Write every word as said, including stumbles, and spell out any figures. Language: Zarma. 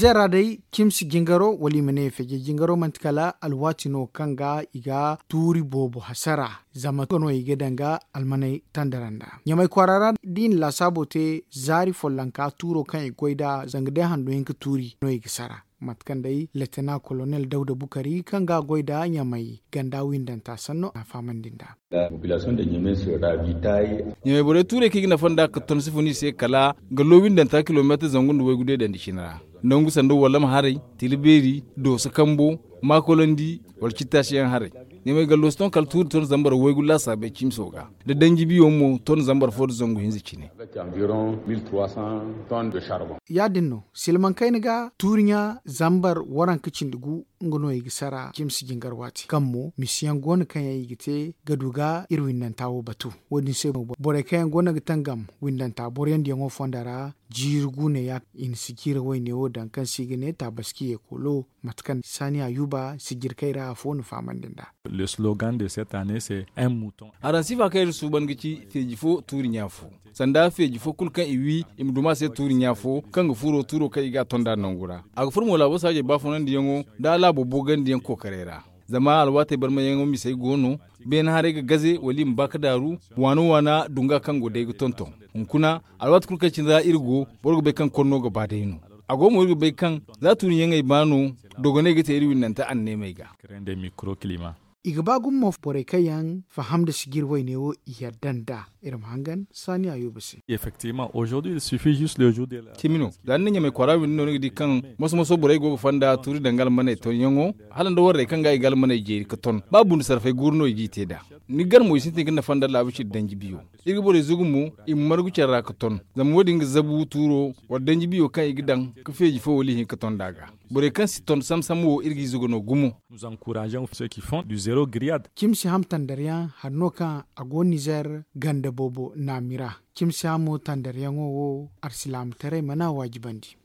Zera day, cimsi jingaro wala i ma ne feeje jingaro manti kala alwaati no kaŋ ga i ga tuuri boobo hasara. Zama nga no i ga daŋ ga almaney tandara nda ɲamay kwaara ra, da i na laasaabo te zaari follonka tuuro kaŋ i ga goy nd'a zanga day hando hinka tuuri no i ga sara. Mate kaŋ day leetana kolonel dawda bukari kaŋ ga a goy nd'a ɲamay ganda windanta sanno a fahamandi nd'a. Ɲamay borey tuurey kaŋ i ga nafa nd'a ka ton si fun i se kala ga lo windanta kilomeetir zangu nda waygu deedandi cine ra. Nangu sanda wallam haray, tila beeri, dooso kambo, maakolandi, wala cittaasiyaŋ haray. Ɲamay gallo si ton kala tuuri ton zambar waygu laasaabey cimso ga, da danji biyo mo ton zambar fo nda zangu hinza cine. Ya- din no silmaŋ kayna ga tuuri ɲa zambar waranka cindi gu. Nga no i ga sara cimsi jingar waati kaŋ mo misiyaŋ go no kaŋ yaŋ i ga te ga du ga iri windanta wo batu. Wo- din se mo borey kaŋ yaŋ go no ga tangam windanta boroyandiyaŋo fonda ra, jiiri guuneya i na si jiiri wayne wo daŋ kaŋ se i ga ne taabaski yeekolo. Mate kaŋ saani ayuba sijirkey ra afo na fahamandi nd'a. Araŋ sifa kaŋ iri suuban ga ci feeji fo tuuri ɲa fo, sanda feeji fo kulu kaŋ i wi i ma duma se tuuri ɲa fo kaŋ ga furo tuuro kaŋ i ga a ton nd'a nangu ra. A ga furo mo laabo saajey baafunandiyaŋo nda a laabo boogandiyaŋ kookaray ra. Zama alwaatey barmayaŋo misey go no, beene haray ga gaze wala i ma ba ga daaru, waana waana dunga kaŋ go day ga tonton. Hunkuna, alwaati kulu kaŋ cine ra iri go, boro ga bay kaŋ konno ga ba day no. A go mo iri ga bay kaŋ za tuuriyaŋey ba no, dogoney ga te iri windanta anneemey ga. I ga ba gumo borey kaŋ yaŋ faham nda sijir wayne wo i yadda nd'a. Iri ma hangan saani ayuba se. Cimi no, za ni na ɲamay kwaara windi no ni ga di kaŋ moso moso borey go ga fonda tuuri daŋ ga almaney tonyaŋo, hala nda warrey kaŋ ga i ga almaney jeeri ga ton ba bundu sarfay guuru no i g'i te nd'a. Ni gar mo i sintin ga nafa nda laabu ciri danji biyo. Iri ga borey zugu mo i ma margu care ra ga ton, zama wo- din ga zabu tuuro wala danji biyo kaŋ i ga daŋ ga feeji fo wala ihinka ton nd'a ga. Borey kaŋ si ton sam sam wo iri g'i zugu no gumo. Cimsi ham tandaryaŋ hari no kaŋ a go nizer ganda boobo naami ra. Cimsi hamo tandaryaŋo wo arsilaamataray mana waajibandi.